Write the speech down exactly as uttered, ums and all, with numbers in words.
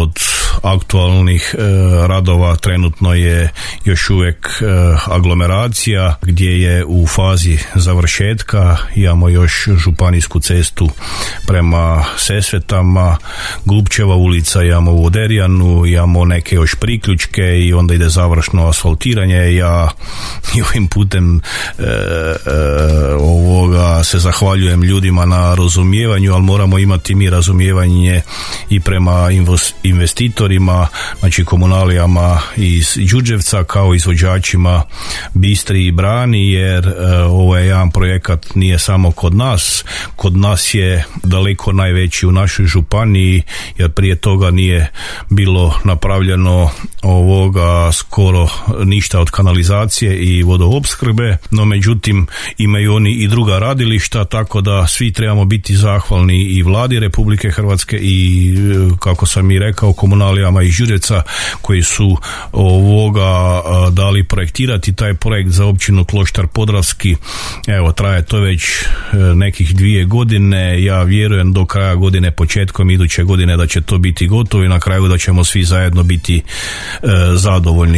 od aktualnih e, radova trenutno je još uvijek e, aglomeracija gdje je u fazi završetka. Imamo još županijsku cestu prema Sesvetama, Glupčeva ulica, imamo u Oderijanu, imamo neke još priključke i onda ide završno asfaltiranje. Ja i ovim putem e, e, ovoga se zahvaljujem ljudima na razumijevanju, ali moramo imati mi razumijevanje i prema investitorima, znači komunalijama iz Đurđevca kao izvođačima Bistri i Brani, jer e, ovo je jedan projekat nije samo kod nas, kod nas je daleko najveći u našoj županiji, jer prije toga nije bilo napravljeno ovoga skoro ništa od kanalizacije i vodoopskrbe, no međutim imaju oni i druga radilišta, tako da svi trebamo biti zahvalni i vladi Republike Hrvatske i, kako sam i rekao, komunalijama iz Đurđevca koji su ovoga dali projektirati taj projekt za općinu Kloštar Podravski. Evo, traje to već nekih dvije godine. Ja vjerujem do kraja godine, početkom iduće godine da će to biti gotovo i na kraju da ćemo svi zajedno biti e, zadovoljni.